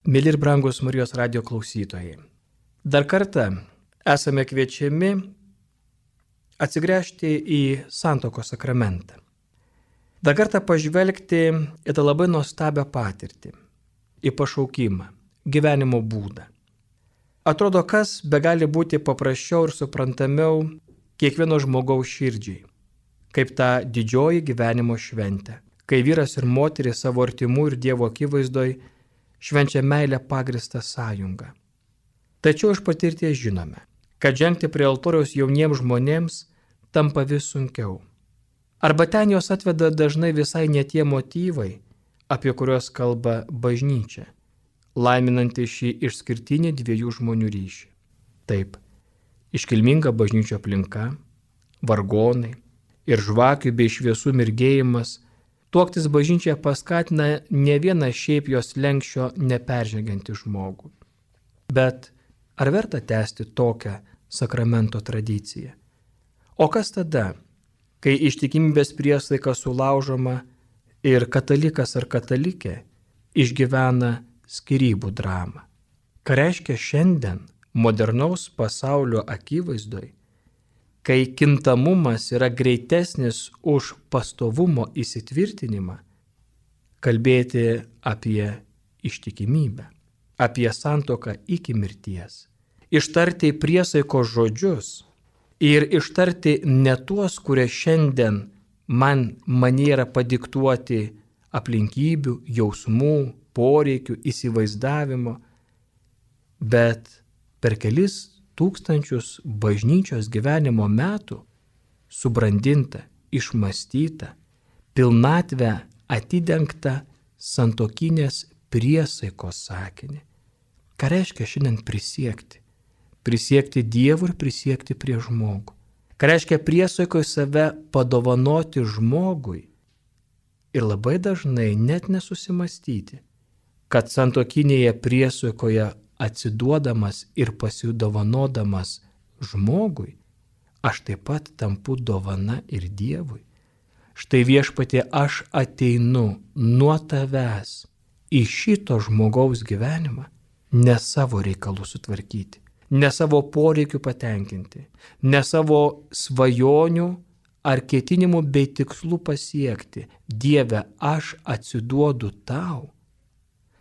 Mėly ir brangus Marijos radijo klausytojai, dar kartą esame kviečiami atsigręžti į santuokos sakramentą. Dar kartą pažvelgti į tą labai nuostabią patirtį, į pašaukimą, gyvenimo būdą. Atrodo, kas begali būti paprasčiau ir suprantamiau kiekvieno žmogaus širdžiai, kaip ta didžioji gyvenimo šventė, kai vyras ir moteris savo artimų ir Dievo akivaizdoj švenčia meilę pagristą sąjungą. Tačiau iš patirties žinome, kad žengti prie altoriaus jauniems žmonėms tampa vis sunkiau. Arba ten jos atveda dažnai visai ne tie motyvai, apie kuriuos kalba bažnyčia, laiminanti šį išskirtinį dviejų žmonių ryšį. Taip, iškilminga bažnyčio aplinka, vargonai ir žvakių bei šviesų mirgėjimas tuoktis bažnyčia paskatina ne vieną šiaip jos lenkščio neperžengiantį žmogų. Bet ar verta tęsti tokią sakramento tradiciją? O kas tada, kai ištikimybės priesaika sulaužoma ir katalikas ar katalikė išgyvena skyrybų dramą? Ką reiškia šiandien modernaus pasaulio akivaizdoj, kai kintamumas yra greitesnis už pastovumo įsitvirtinimą, kalbėti apie ištikimybę, apie santuoką iki mirties, ištarti priesaikos žodžius ir ištarti ne tuos, kurie šiandien manie yra padiktuoti aplinkybių, jausmų, poreikių, įsivaizdavimo, bet per kelis tūkstančius bažnyčios gyvenimo metų subrandinta, išmąstyta, pilnatvę atidengta santuokinės priesaikos sakinį. Ką reiškia šiandien prisiekti? Prisiekti Dievui ir prisiekti prie žmogų. Ką reiškia priesaikoje save padovanoti žmogui ir labai dažnai net nesusimastyti, kad santuokinėje priesaikoje atsiduodamas ir pasidovanodamas žmogui, aš taip pat tampu dovana ir Dievui. Štai Viešpatie, aš ateinu nuo tavęs į šito žmogaus gyvenimą, ne savo reikalų sutvarkyti, ne savo poreikių patenkinti, ne savo svajonių ar ketinimų bei tikslų pasiekti. Dieve, aš atsiduodu tau,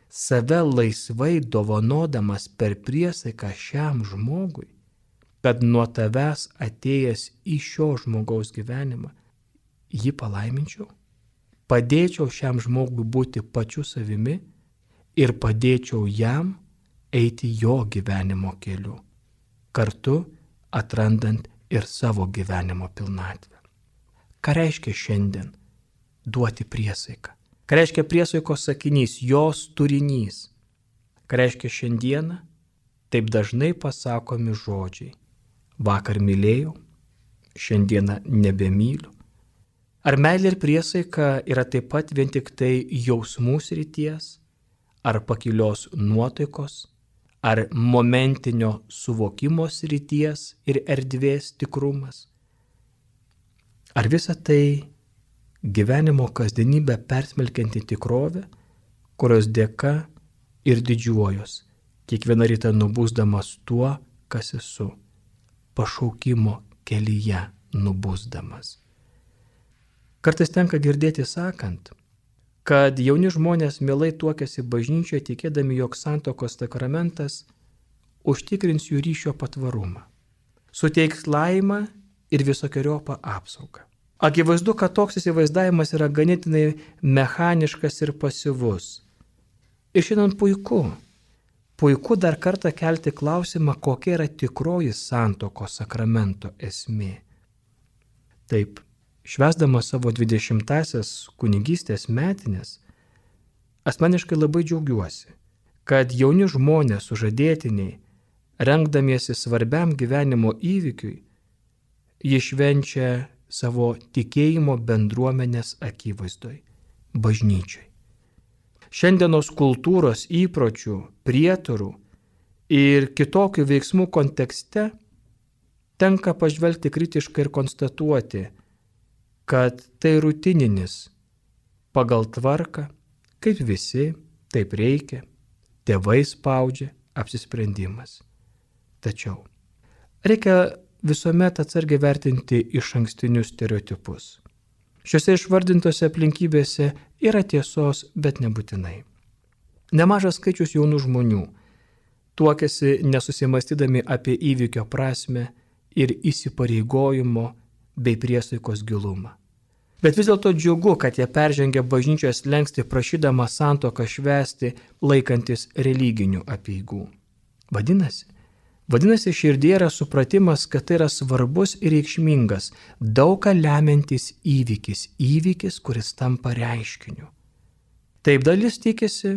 save laisvai dovanodamas per priesaiką šiam žmogui, kad nuo tavęs atėjęs į šio žmogaus gyvenimą jį palaiminčiau, padėčiau šiam žmogui būti pačiu savimi ir padėčiau jam eiti jo gyvenimo keliu, kartu atrandant ir savo gyvenimo pilnatvę. Ką reiškia šiandien duoti priesaiką? Ką reiškia priesaikos sakinys, jos turinys? Ką reiškia šiandieną? Taip dažnai pasakomi žodžiai. Vakar mylėjau, šiandieną nebemyliu. Ar meilė ir priesaika yra taip pat vien tik tai jausmų srities, ar pakilios nuotaikos, ar momentinio suvokimo srities ir erdvės tikrumas? Ar visa tai gyvenimo kasdienybę persmelkianti tikrovė, kurios dėka ir didžiuojos, kiekvieną rytą nubusdamas tuo, kas esu, pašaukimo kelyje nubusdamas. Kartais tenka girdėti sakant, kad jauni žmonės mielai tuokiasi bažnyčioje tikėdami, jog santuokos sakramentas užtikrins jų ryšio patvarumą, suteiks laimę ir visokeriopą apsaugą. Akivaizdu, kad toks įsivaizdavimas yra ganėtinai mechaniškas ir pasyvus. Ir šiandien puiku dar kartą kelti klausimą, kokia yra tikroji santuokos sakramento esmė. Taip, švęsdamas savo 20-asias kunigystės metines, asmeniškai labai džiaugiuosi, kad jauni žmonės sužadėtiniai, rengdamiesi svarbiam gyvenimo įvykiui, jie švenčia savo tikėjimo bendruomenės akivaizdoj, bažnyčioj. Šiandienos kultūros įpročių, prietarų ir kitokių veiksmų kontekste tenka pažvelgti kritiškai ir konstatuoti, kad tai rutininis, pagal tvarką, kaip visi, taip reikia, tėvai spaudžia, apsisprendimas. Tačiau reikia visuomet atsargiai vertinti išankstinius stereotipus. Šiuose išvardintose aplinkybėse yra tiesos, bet nebūtinai. Nemažas skaičius jaunų žmonių tuokiasi nesusimastydami apie įvykio prasme ir įsipareigojimo bei priesaikos gilumą. Bet vis dėlto džiugu, kad jie peržengia bažnyčios slenkstį prašydama santuoką švęsti laikantis religinių apeigų. Vadinasi, širdie yra supratimas, kad tai yra svarbus ir reikšmingas, daug ką lemiantis įvykis, kuris tampa reiškiniu. Taip dalis tikisi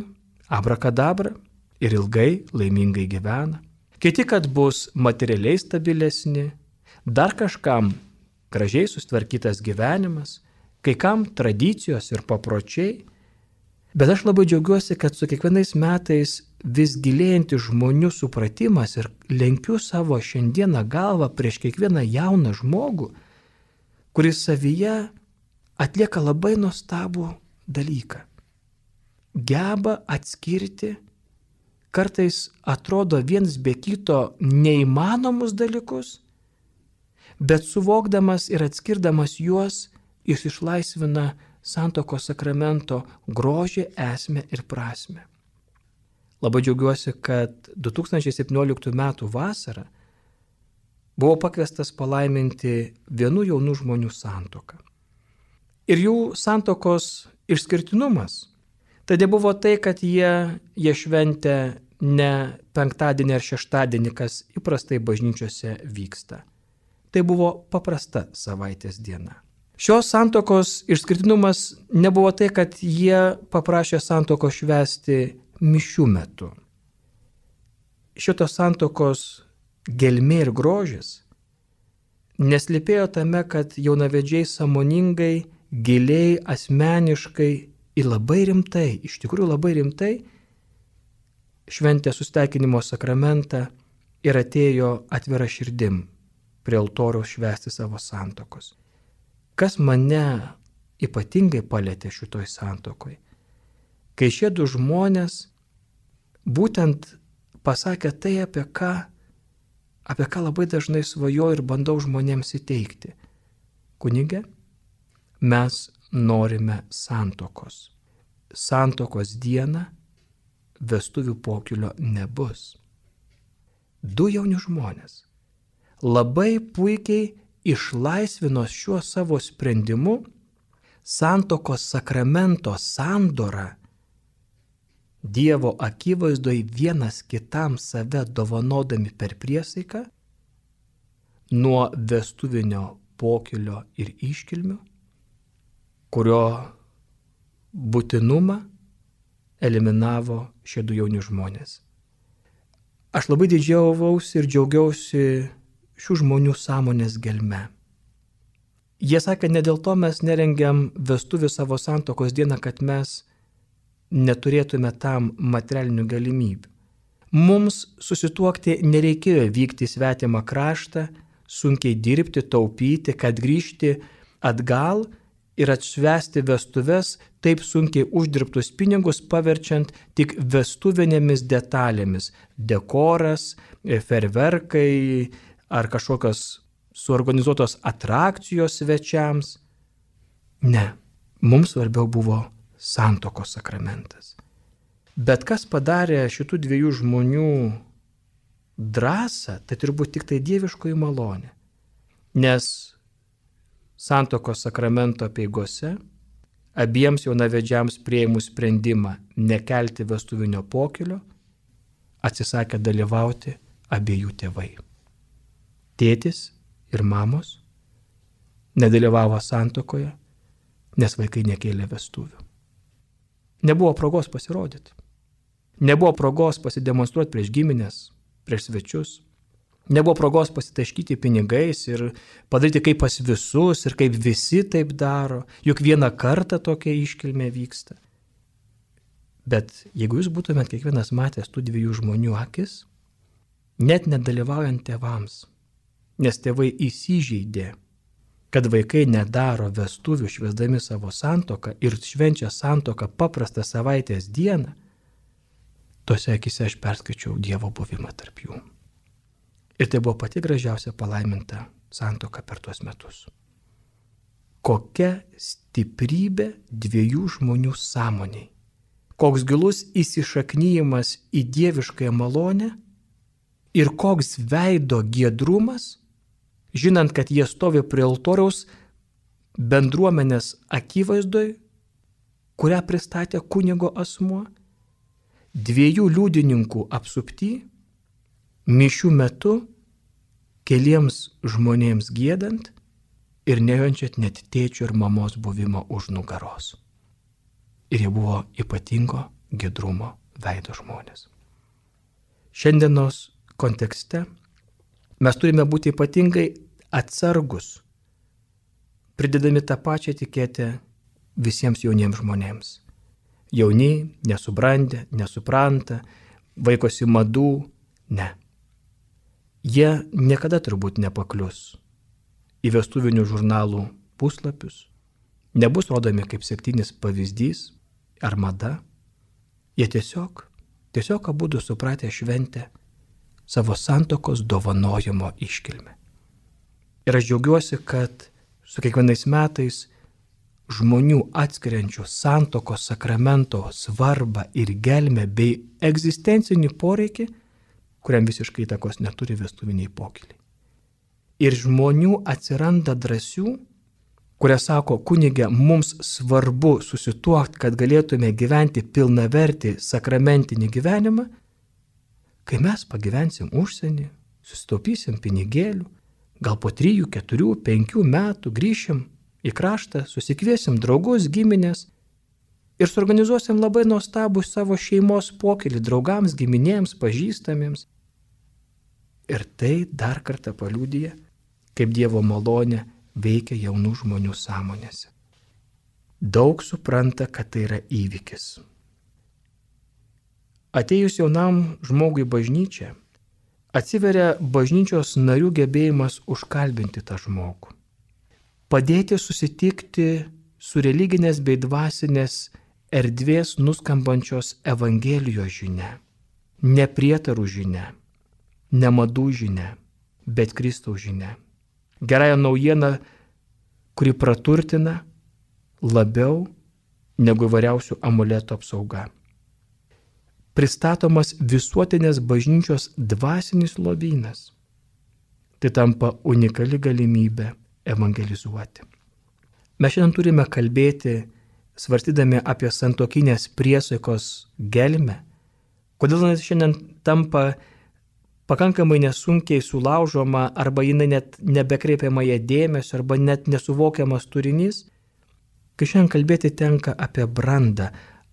abrakadabra ir ilgai, laimingai gyvena. Kiti, kad bus materialiai stabilesni, dar kažkam gražiai sustvarkytas gyvenimas, kai kam tradicijos ir papročiai. Bet aš labai džiaugiuosi, kad su kiekvienais metais vis gilėjantis žmonių supratimas ir lenkiu savo šiandieną galvą prieš kiekvieną jauną žmogų, kuris savyje atlieka labai nuostabų dalyką. Geba atskirti, kartais atrodo viens be kito neįmanomus dalykus, bet suvokdamas ir atskirdamas juos, jis išlaisvina santuokos sakramento grožį, esmę ir prasmę. Labai džiaugiuosi, kad 2017 m. vasarą buvau pakviestas palaiminti vienų jaunų žmonių santuoką. Ir jų santuokos išskirtinumas tai nebuvo tai, kad jie šventė ne penktadienį ar šeštadienį, kas įprastai bažnyčiose vyksta. Tai buvo paprasta savaitės diena. Šios santuokos išskirtinumas nebuvo tai, kad jie paprašė santuokos švęsti mišių metu. Šitos santuokos gelmė ir grožis neslėpėjo tame, kad jaunavedžiai sąmoningai, giliai, asmeniškai ir labai rimtai, iš tikrųjų labai rimtai, šventė susitaikinimo sakramentą ir atėjo atvira širdim prie altoriaus švęsti savo santuokos. Kas mane ypatingai palėtė šitoj santuokoj, kai šie du žmonės būtent pasakė tai, apie ką labai dažnai svajoju ir bandau žmonėms įteikti. Kunige, mes norime santuokos. Santuokos dieną vestuvių pokylio nebus. Du jauni žmonės labai puikiai išlaisvino šiuo savo sprendimu santuokos sakramento sandorą, Dievo akivaizdoj vienas kitam save dovanodami per priesaiką, nuo vestuvinio pokylio ir iškilmių, kurio būtinumą eliminavo šie du jauni žmonės. Aš labai didžiavausi ir džiaugiausi šių žmonių sąmonės gelme. Jie sakė, ne dėl to mes nerengiam vestuvių savo santuokos dieną, kad mes neturėtume tam materialinių galimybių. Mums susituokti nereikėjo vykti į svetimą kraštą, sunkiai dirbti, taupyti, kad grįžti atgal ir atšvęsti vestuves taip sunkiai uždirbtus pinigus, paverčiant tik vestuvinėmis detalėmis – dekoras, ferverkai ar kažkokios suorganizuotos atrakcijos svečiams. Ne, mums svarbiau buvo santuokos sakramentas. Bet kas padarė šitų dviejų žmonių drąsą, tai turbūt tik tai dieviškoji malonė. Nes santuokos sakramento apeigose abiems jaunavedžiams priėmus sprendimą nekelti vestuvinio pokylio, atsisakė dalyvauti abiejų tėvai. Tėtis ir mamos nedalyvavo santuokoje, nes vaikai nekėlė vestuvių. Nebuvo progos pasirodyti. Nebuvo progos pasidemonstruoti prieš giminės, prieš svečius. Nebuvo progos pasitaškyti pinigais ir padaryti kaip pas visus ir kaip visi taip daro. Juk vieną kartą tokia iškilmė vyksta. Bet jeigu jūs būtumėt kiekvienas matęs tų dviejų žmonių akis, net nedalyvaujant tėvams, nes tėvai įsižeidė, kad vaikai nedaro vestuvių švęsdami savo santuoką ir švenčia santuoką paprastą savaitės dieną, tose akise aš perskaičiau Dievo buvimą tarp jų. Ir tai buvo pati gražiausia palaiminta santuoka per tuos metus. Kokia stiprybė dviejų žmonių sąmoniai. Koks gilus įsišaknyjimas į dieviškąją malonę ir koks veido giedrumas, žinant, kad jie stovi prie altoriaus bendruomenės akivaizdoj, kurią pristatė kunigo asmuo, dviejų liudininkų apsupty, mišių metu, keliems žmonėms giedant ir nejaučiant net tėčio ir mamos buvimo už nugaros. Ir jie buvo ypatingo giedrumo veido žmonės. Šiandienos kontekste mes turime būti ypatingai atsargus, pridedami tą pačią etiketę visiems jauniems žmonėms. Jauni, nesubrandę, nesupranta, vaikosi madų, ne. Jie niekada turbūt nepaklius į vestuvinių žurnalų puslapius, nebus rodomi kaip sektinis pavyzdys ar mada. Jie tiesiog abudu supratę šventę savo santuokos dovanojimo iškilmę. Ir aš džiaugiuosi, kad su kiekvienais metais žmonių atskiriančių santuokos sakramento svarbą ir gelmę bei egzistencinį poreikį, kuriam visiškai įtakos neturi vestuviniai pokyliai. Ir žmonių atsiranda drąsių, kurie sako, kunige, mums svarbu susituokti, kad galėtume gyventi pilnavertį sakramentinį gyvenimą, kai mes pagyvensim užsienį, susitaupysim pinigėlių, gal po 3, 4, 5 metų grįšim į kraštą, susikviesim draugus, giminės ir suorganizuosim labai nuostabų savo šeimos pokylį draugams, giminėms, pažįstamiems. Ir tai dar kartą paliudija, kaip Dievo malonė veikia jaunų žmonių sąmonėse. Daug supranta, kad tai yra įvykis. Atėjus jaunam žmogui bažnyčią, atsiveria bažnyčios narių gebėjimas užkalbinti tą žmogų. Padėti susitikti su religinės bei dvasinės erdvės nuskambančios Evangelijos žinia, ne prietarų žinia, ne madų žinia, bet Kristaus žinia. Gerąją naujieną, kuri praturtina labiau negu įvairiausių amuletų apsauga. Pristatomas visuotinės bažnyčios dvasinis lobynas. Tai tampa unikali galimybė evangelizuoti. Mes šiandien turime kalbėti, svarstydami apie santuokinės priesaikos gelmę, kodėl jis šiandien tampa pakankamai nesunkiai sulaužoma arba jinai net nebekreipiama ją dėmesio arba net nesuvokiamas turinys, kai šiandien kalbėti tenka apie brandą.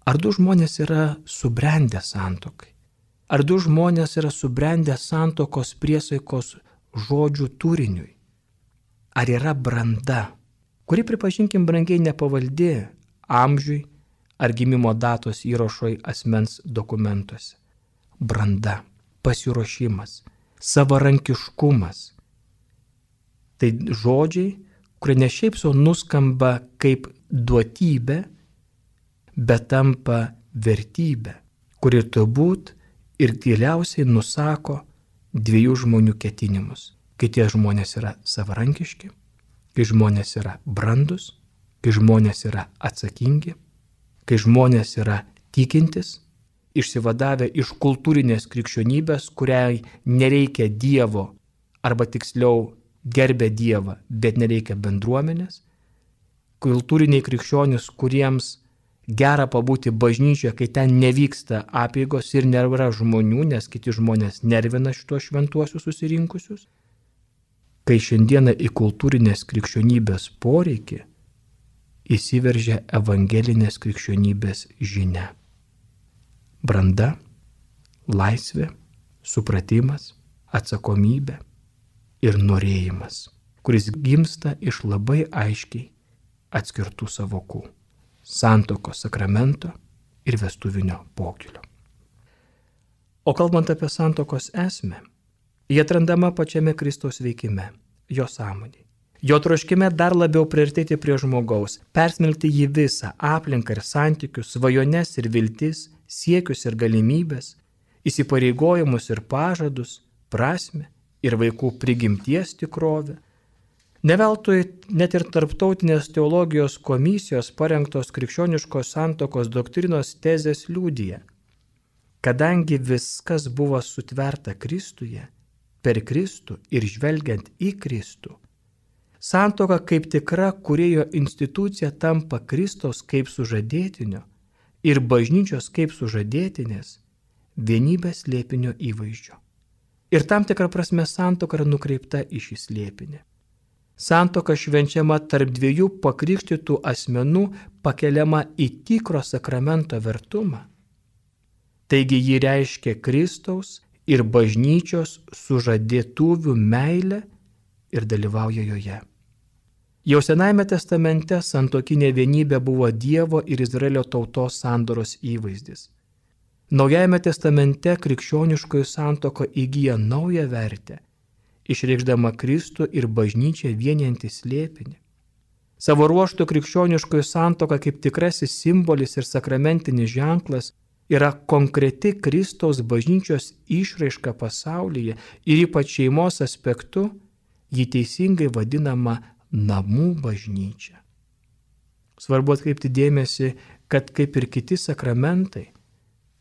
Ar du žmonės yra subrendę santuokai? Ar du žmonės yra subrendę santuokos priesaikos žodžių turiniui? Ar yra branda, kuri, pripažinkim, brangiai nepavaldi amžiui ar gimimo datos įrašoj asmens dokumentuose? Branda, pasiruošimas, savarankiškumas. Tai žodžiai, kurie ne šiaip sau nuskamba kaip duotybė, bet tampa vertybė, kuri turbūt ir giliausiai nusako dviejų žmonių ketinimus. Kai tie žmonės yra savarankiški, kai žmonės yra brandus, kai žmonės yra atsakingi, kai žmonės yra tikintis, išsivadavę iš kultūrinės krikščionybės, kuriai nereikia Dievo, arba tiksliau gerbia Dievą, bet nereikia bendruomenės, kultūriniai krikščionys, kuriems gera pabūti bažnyčioje, kai ten nevyksta apeigos ir nėra žmonių, nes kiti žmonės nervina šitos šventuosius susirinkusius. Kai šiandieną į kultūrinės krikščionybės poreikį įsiveržia evangelinės krikščionybės žinia. Branda, laisvė, supratimas, atsakomybė ir norėjimas, kuris gimsta iš labai aiškiai atskirtų sąvokų - santuokos sakramento ir vestuvinio pokylio. O kalbant apie santuokos esmę, jie atrandama pačiame Kristaus veikime, jo sąmonėje. Jo troškime dar labiau priartėti prie žmogaus, persmelkti jį visą aplinką ir santykius, svajones ir viltis, siekius ir galimybės, įsipareigojimus ir pažadus, prasmę ir vaikų prigimties tikrovę. Neveltui net ir Tarptautinės teologijos komisijos parengtos krikščioniškos santuokos doktrinos tezės liudija, kadangi viskas buvo sutverta Kristuje, per Kristų ir žvelgiant į Kristų, santuoka kaip tikra kūrėjo institucija tampa Kristaus kaip sužadėtinio ir bažnyčios kaip sužadėtinės vienybės slėpinio įvaizdžio. Ir tam tikrą prasme santuoka yra nukreipta į šį slėpinį. Santuoka švenčiama tarp dviejų pakrikštytų asmenų pakeliama į tikro sakramento vertumą. Taigi ji reiškia Kristaus ir bažnyčios sužadėtuvių meilę ir dalyvauja joje. Jau Senajame testamente santuokinė vienybė buvo Dievo ir Izraelio tautos sandoros įvaizdis. Naujajame testamente krikščioniškoji santuoka įgyja naują vertę, išreikšdama Kristų ir bažnyčią vienijantį slėpinį. Savo ruožtu krikščioniškoji santuoka kaip tikrasis simbolis ir sakramentinis ženklas yra konkreti Kristaus bažnyčios išraiška pasaulyje ir ypač šeimos aspektu ji teisingai vadinama namų bažnyčia. Svarbu atkreipti dėmesį, kad kaip ir kiti sakramentai,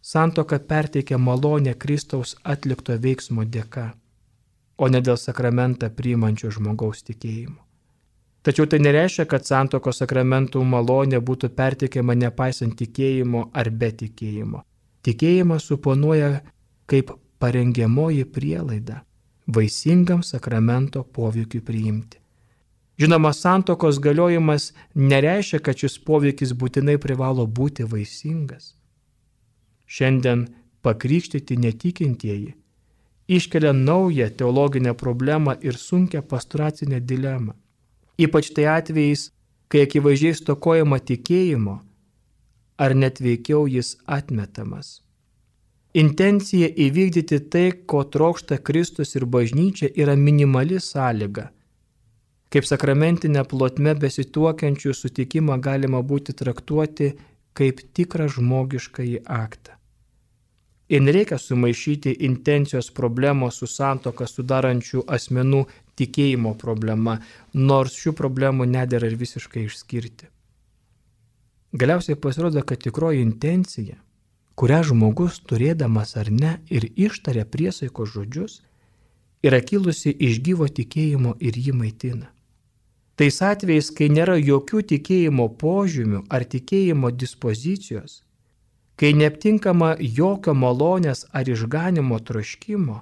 santuoka perteikia malonę Kristaus atlikto veiksmo dėka, o ne dėl sakramentą priimančio žmogaus tikėjimo. Tačiau tai nereiškia, kad santuokos sakramentų malonė būtų perteikiama nepaisant tikėjimo ar be tikėjimo. Tikėjimas suponuoja kaip parengiamoji prielaida vaisingam sakramento poveikiui priimti. Žinoma, santuokos galiojimas nereiškia, kad šis poveikis būtinai privalo būti vaisingas. Šiandien pakrikštyti netikintieji iškelia naują teologinę problemą ir sunkią pastoracinę dilemą. Ypač tai atvejais, kai akivaizdžiai stokojama tikėjimo, ar net veikiau jis atmetamas. Intencija įvykdyti tai, ko trokšta Kristus ir bažnyčia, yra minimali sąlyga. Kaip sakramentinę plotmę besituokiančių sutikimą galima būti traktuoti kaip tikrą žmogiškąjį aktą. Ir nereikia sumaišyti intencijos problemos su santuoką sudarančių asmenų tikėjimo problema, nors šių problemų nedera ir visiškai išskirti. Galiausiai pasirodo, kad tikroji intencija, kurią žmogus turėdamas ar ne ir ištaria priesaikos žodžius, yra kilusi iš gyvo tikėjimo ir jį maitina. Tais atvejais, kai nėra jokių tikėjimo požymių ar tikėjimo dispozicijos, kai neaptinkama jokio malonės ar išganimo troškimo,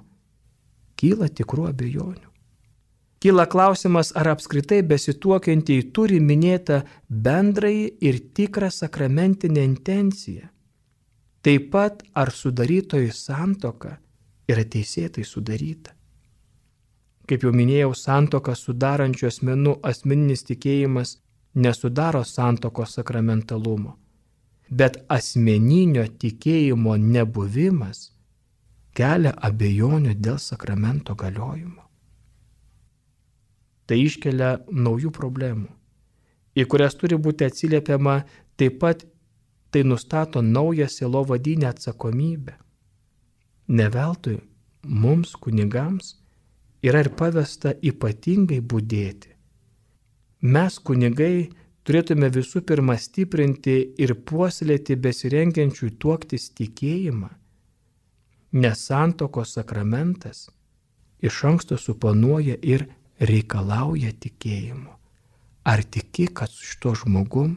kyla tikrų abejonių. Kyla klausimas, ar apskritai besituokiantieji turi minėtą bendrąjį ir tikrą sakramentinę intenciją. Taip pat, ar sudarytojų santuoka yra teisėtai sudaryta. Kaip jau minėjau, santuoką sudarančių asmenų asmeninis tikėjimas nesudaro santuokos sakramentalumo, bet asmeninio tikėjimo nebuvimas kelia abejonių dėl sakramento galiojimo. Tai iškelia naujų problemų, į kurias turi būti atsiliepiama, taip pat tai nustato naują sielovadinę atsakomybę. Ne veltui mums, kunigams, yra ir pavesta ypatingai budėti. Mes, kunigai, turėtume visų pirma stiprinti ir puoselėti besirengiančių tuoktis tikėjimą, nes santuokos sakramentas iš anksto suponuoja ir reikalauja tikėjimo. Ar tiki, kad su šituo žmogum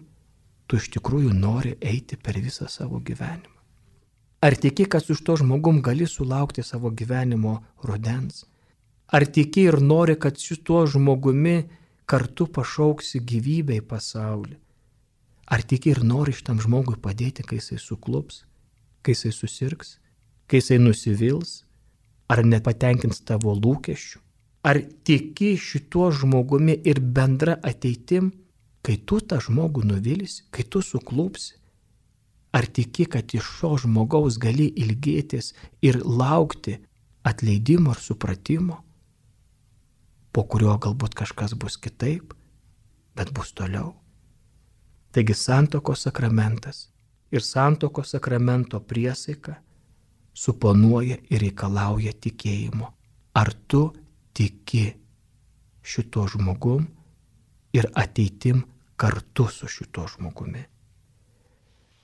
tu iš tikrųjų nori eiti per visą savo gyvenimą? Ar tiki, kad su šituo žmogum gali sulaukti savo gyvenimo rudens? Ar tiki ir nori, kad šituo žmogumi kartu pašauksi gyvybę į pasaulį? Ar tiki ir nori šitam žmogui padėti, kai jisai suklups, kai jisai susirgs, kai jisai nusivils, ar nepatenkins tavo lūkesčių? Ar tiki šituo žmogumi ir bendra ateitim, kai tu tą žmogų nuvilsi, kai tu suklupsi? Ar tiki, kad iš šio žmogaus gali ilgėtis ir laukti atleidimo ir supratimo, po kurio galbūt kažkas bus kitaip, bet bus toliau? Taigi santuokos sakramentas ir santuokos sakramento priesaika suponuoja ir reikalauja tikėjimo. Ar tu tiki šito žmogum ir ateitim kartu su šito žmogumi?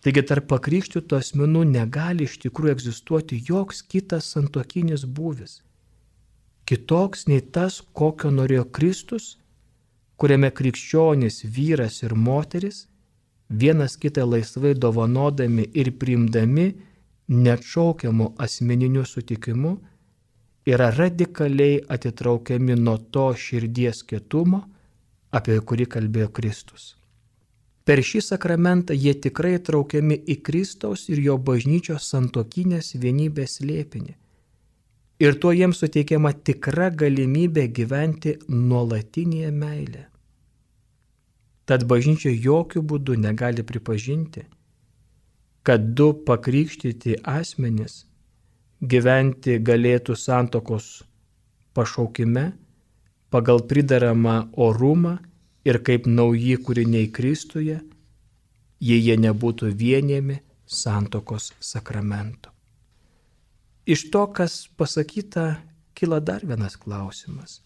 Taigi tarp pakrikštytų asmenų negali iš tikrųjų egzistuoti joks kitas santuokinis būvis, kitoks nei tas, kokio norėjo Kristus, kuriame krikščionys, vyras ir moteris, vienas kitą laisvai dovanodami ir priimdami neatšaukiamu asmeniniu sutikimu, yra radikaliai atitraukiami nuo to širdies kietumo, apie kurį kalbėjo Kristus. Per šį sakramentą jie tikrai traukiami į Kristaus ir jo bažnyčios santuokinės vienybės slėpinį. Ir tuo jiems suteikiama tikra galimybė gyventi nuolatinėje meilėje. Tad bažnyčia jokių būdų negali pripažinti, kad du pakrikštyti asmenys gyventi galėtų santuokos pašaukime pagal pridaramą orumą ir kaip nauji kūriniai Kristuje, jei jie nebūtų vienijami santuokos sakramento. Iš to, kas pasakyta, kyla dar vienas klausimas.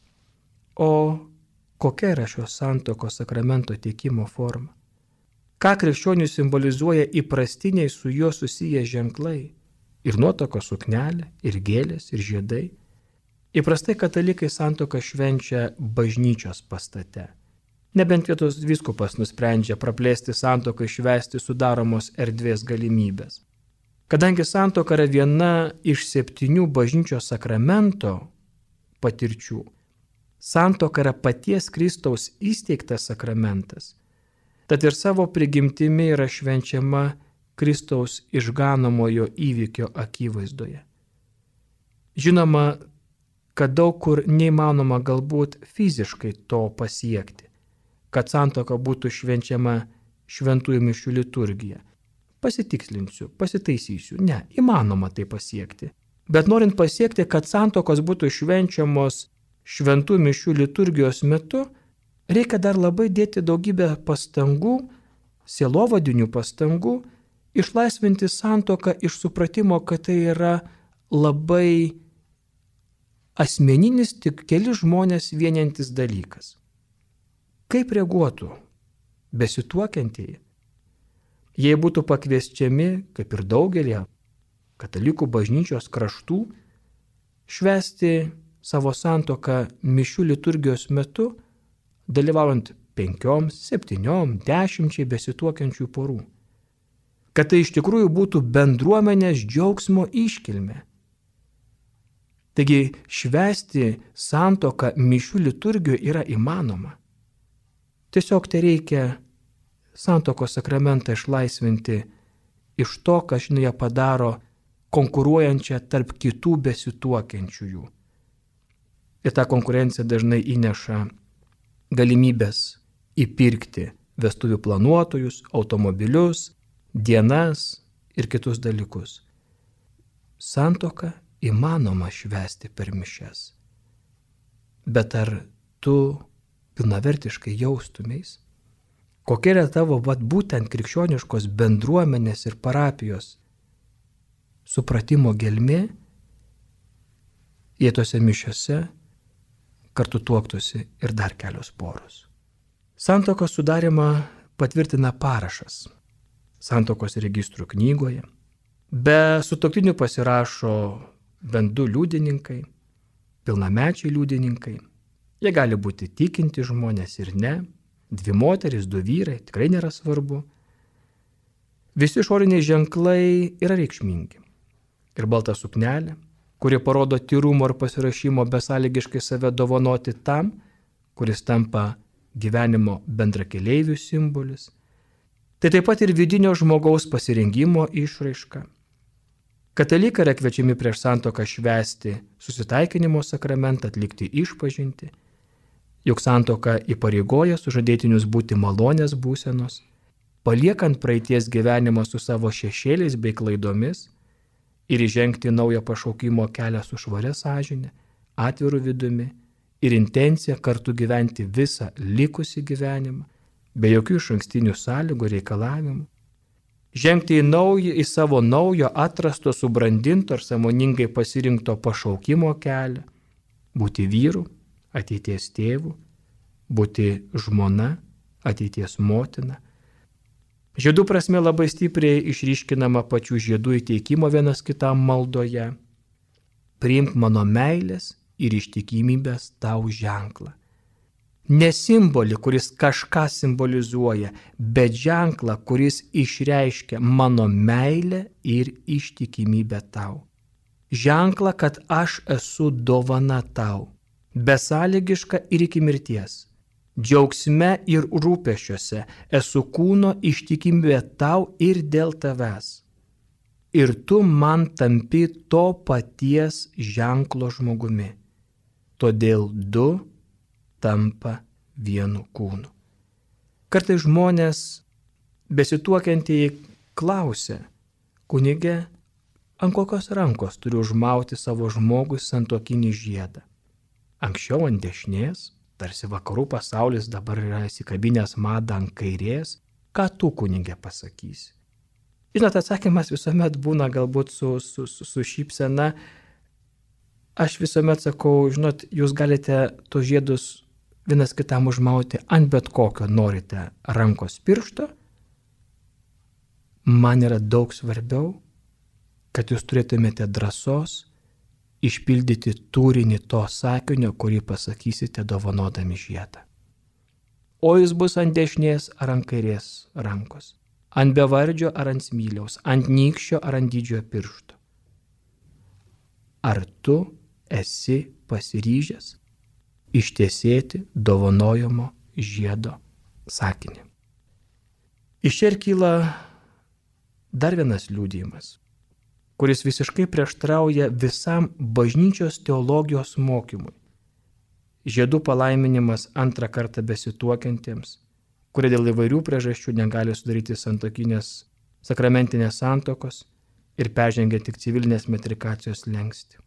O kokia yra šios santuokos sakramento teikimo forma? Ką krikščionių simbolizuoja įprastiniai su juo susiję ženklai? Ir nuotakos suknelė, ir gėlės, ir žiedai. Įprastai katalikai santuoką švenčia bažnyčios pastate. Nebent vietos vyskupas nusprendžia praplėsti santuoką švęsti sudaromos erdvės galimybės. Kadangi santuoka yra viena iš 7 bažnyčios sakramento patirčių, santuoka yra paties Kristaus įsteigtas sakramentas, tad ir savo prigimtimi yra švenčiama Kristaus išganomojo įvykio akivaizdoje. Žinoma, kad daug kur neįmanoma galbūt fiziškai to pasiekti, kad santuoka būtų švenčiama šventųjų mišių liturgija. Pasitikslinsiu, pasitaisysiu. Ne, įmanoma tai pasiekti. Bet norint pasiekti, kad santuokos būtų švenčiamos šventųjų mišių liturgijos metu, reikia dar labai dėti daugybę pastangų, sielovadinių pastangų, išlaisvinti santuoką iš supratimo, kad tai yra labai asmeninis, tik keli žmonės vieniantis dalykas. Kaip reaguotų besituokiantieji, jei būtų pakviesčiami, kaip ir daugelį katalikų bažnyčios kraštų, švęsti savo santuoką mišių liturgijos metu, dalyvaujant 5, 7, 10 besituokiančių porų. Kad tai iš tikrųjų būtų bendruomenės džiaugsmo iškilmė. Taigi švęsti santuoką mišių liturgijoje yra įmanoma. Tiesiog tai reikia santuokos sakramentą išlaisvinti iš to, kas žinai padaro konkuruojančią tarp kitų besituokiančiųjų. Ir ta konkurencija dažnai įneša galimybės įpirkti vestuvių planuotojus, automobilius, dienas ir kitus dalykus. Santuoką įmanoma švęsti per mišias. Bet ar tu pilnavertiškai jaustumeis, kokia yra tavo būtent krikščioniškos bendruomenės ir parapijos supratimo gelmė, jei tose mišiose kartu tuoktųsi ir dar kelios poros. Santuokos sudarimą patvirtina parašas santuokos registrų knygoje. Be sutuoktinių pasirašo bent 2 liudininkai, pilnamečiai liudininkai. Jie gali būti tikinti žmonės ir ne, 2 moterys, 2 vyrai, tikrai nėra svarbu. Visi išoriniai ženklai yra reikšmingi. Ir balta suknelė, kuri parodo tyrumo ir pasirašymo besąlygiškai save dovanoti tam, kuris tampa gyvenimo bendrakeleivių simbolis. Tai taip pat ir vidinio žmogaus pasirengimo išraiška. Katalikai yra kviečiami prieš santuoką švęsti susitaikinimo sakramentą, atlikti išpažintį, juk santuoka įpareigoja sužadėtinius būti malonės būsenos, paliekant praeities gyvenimą su savo šešėliais bei klaidomis ir įžengti naują pašaukimo kelią su švaria sąžine, atviru vidumi ir intencija kartu gyventi visą likusį gyvenimą, be jokių išankstinių sąlygų reikalavimų. žengti į savo naujo, atrasto, subrandinto ir sąmoningai pasirinkto pašaukimo kelią, būti vyru, ateities tėvu, būti žmona, ateities motina. Žiedų prasme labai stipriai išryškinama pačių žiedų įteikimo vienas kitam maldoje. Priimk mano meilės ir ištikimybės tau ženklą. Ne simbolį, kuris kažką simbolizuoja, bet ženklą, kuris išreiškia mano meilę ir ištikimybę tau. Ženklą, kad aš esu dovana tau, besąlygiška ir iki mirties. Džiaugsme ir rūpesčiuose esu kūno ištikimybė tau ir dėl tavęs. Ir tu man tampi to paties ženklo žmogumi. Todėl du tampa vienu kūnu. Kartais žmonės besituokiantieji klausia, kunige, ant kokios rankos turiu užmauti savo žmogui santuokinį žiedą? Anksčiau ant dešinės, tarsi vakarų pasaulis dabar yra įsikabinęs madą ant kairės, ką tu, kunige, pasakysi? Žinot, atsakymas visuomet būna galbūt su šypsena. Aš visuomet sakau, žinot, jūs galite tos žiedus vienas kitam užmauti ant bet kokio norite rankos piršto. Man yra daug svarbiau, kad jūs turėtumėte drąsos išpildyti turinį to sakinio, kurį pasakysite dovanodami žiedą. O jis bus ant dešinės ar ant kairės rankos, ant bevardžio ar ant smiliaus, ant nykščio ar ant didžiojo piršto. Ar tu esi pasiryžęs ištiesėti dovanojamo žiedo sakinį? Iš čia ir kyla dar vienas liudijimas, kuris visiškai prieštrauja visam bažnyčios teologijos mokymui. Žiedų palaiminimas antrą kartą besituokiantiems, kurie dėl įvairių priežasčių negali sudaryti santuokinės sakramentinės santuokos ir peržengia tik civilinės metrikacijos slenkstį.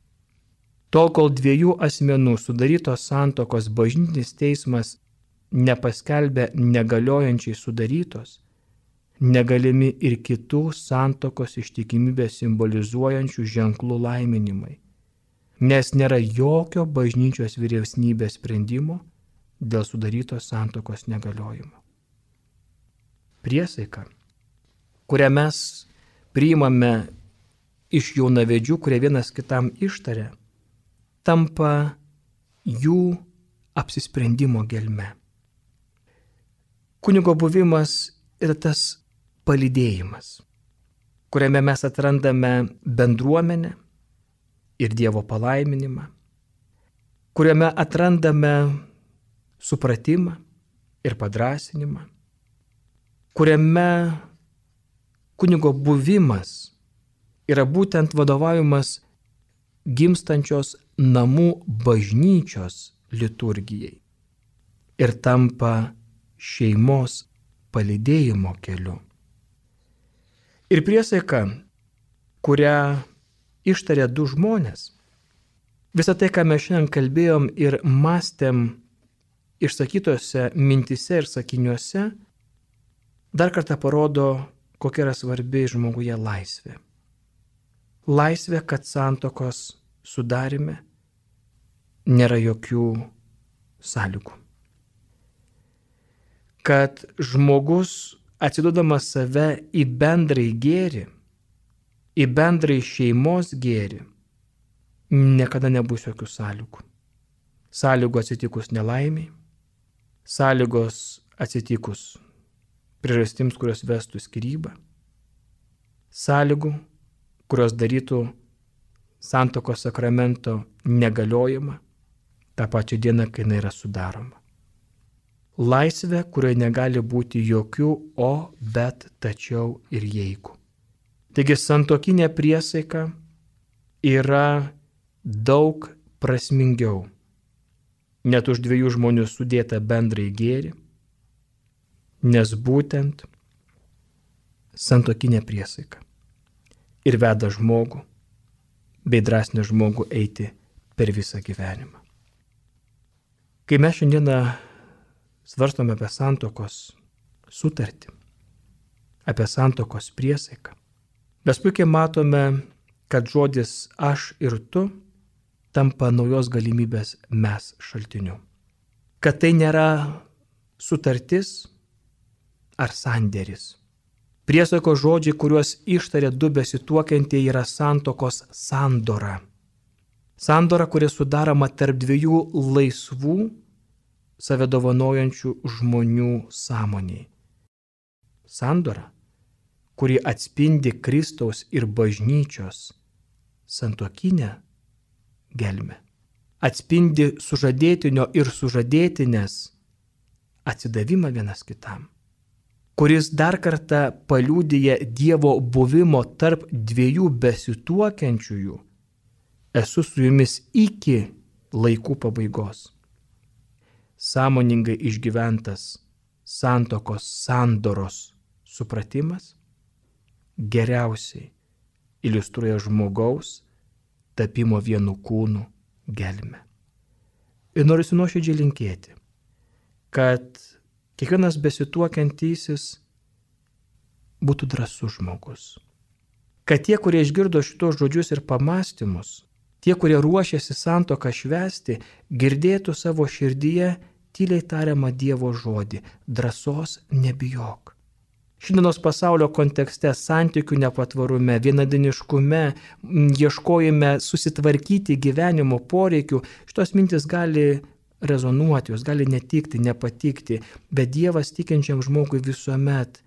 Tol, kol dviejų asmenų sudarytos santuokos bažnytinis teismas nepaskelbė negaliojančiai sudarytos, negalimi ir kitų santuokos ištikimybę simbolizuojančių ženklų laiminimai, nes nėra jokio bažnyčios vyresnybės sprendimo dėl sudarytos santuokos negaliojimo. Priesaika, kurią mes priimame iš jaunavedžių, kurie vienas kitam ištaria, tampa jų apsisprendimo gelme. Kunigo buvimas yra tas palydėjimas, kuriame mes atrandame bendruomenę ir Dievo palaiminimą, kuriame atrandame supratimą ir padrąsinimą, kuriame kunigo buvimas yra būtent vadovavimas gimstančios namų bažnyčios liturgijai ir tampa šeimos palydėjimo keliu. Ir priesaika, kurią ištarė du žmonės, visą tai, ką mes šiandien kalbėjom ir mąstėm išsakytose mintise ir sakiniuose, dar kartą parodo, kokia yra svarbi žmoguje laisvė. Laisvė, kad santuokos sudarime nėra jokių sąlygų. Kad žmogus atsiduodamas save į bendrai gėrį, į bendrai šeimos gėrį, niekada nebus jokių sąlygų. Sąlygų atsitikus nelaimiai, sąlygos atsitikus priežastims, kurios vestų skyrybą, sąlygų, kurios darytų santuokos sakramento negaliojimą tą pačią dieną, kai jinai yra sudaroma. Laisvė, kurioje negali būti jokių o, bet, tačiau ir jeigu. Taigi santuokinė priesaika yra daug prasmingiau, net už dviejų žmonių sudėta bendrai gėrį, nes būtent santuokinė priesaika ir veda žmogų bei drąsina žmogų eiti per visą gyvenimą. Kai mes šiandieną svarstome apie santuokos sutartį, apie santuokos priesaiką, mes puikiai matome, kad žodis aš ir tu tampa naujos galimybės mes šaltiniu. Kad tai nėra sutartis ar sandėris. Priesaikos žodžiai, kuriuos ištarė du besituokiantieji, yra santuokos sandora. Sandora, kuri sudaroma tarp dviejų laisvų, save dovanojančių žmonių sąmoniai. Sandora, kuri atspindi Kristaus ir bažnyčios santuokinę gelmę. Atspindi sužadėtinio ir sužadėtinės atsidavimą vienas kitam, kuris dar kartą paliudija Dievo buvimo tarp dviejų besituokiančiųjų. Esu su jumis iki laikų pabaigos. Sąmoningai išgyventas santuokos sandoros supratimas geriausiai iliustruoja žmogaus tapimo vienu kūnu gelmę. Ir noriu nuoširdžiai linkėti, kad kiekvienas besituokiantysis būtų drąsus žmogus. Kad tie, kurie išgirdo šitos žodžius ir pamąstymus, tie, kurie ruošiasi santuoką švęsti, girdėtų savo širdyje tyliai tariamą Dievo žodį – drąsos nebijok. Šiandienos pasaulio kontekste, santykių nepatvarume, vienadiniškume, ieškojime susitvarkyti gyvenimo poreikių, šitos mintis gali rezonuoti, jos gali netikti, nepatikti, bet Dievas tikinčiam žmogui visuomet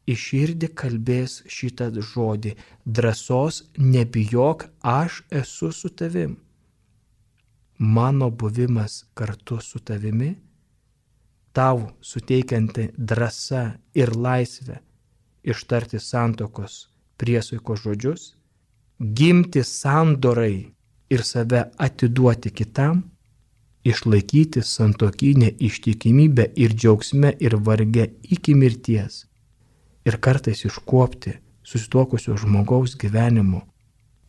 į širdį kalbės šitą žodį – drąsos nebijok, aš esu su tavim. Mano buvimas kartu su tavimi, tau suteikianti drąsa ir laisvę ištarti santuokos priesaikos žodžius, gimti sandorai ir save atiduoti kitam, išlaikyti santuokinę ištikimybę ir džiaugsme ir varge iki mirties ir kartais iškuopti susituokusio žmogaus gyvenimo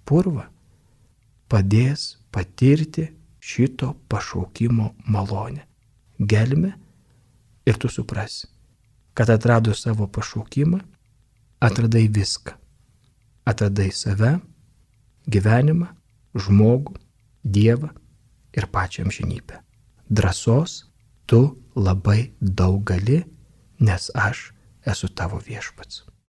purvą, padės patirti šito pašaukimo malonę, gelmę, ir tu suprasi, kad atradus savo pašaukimą, atradai viską. Atradai save, gyvenimą, žmogų, Dievą ir pačią amžinybę. Drąsos tu labai daug gali, nes aš esu tavo viešpats.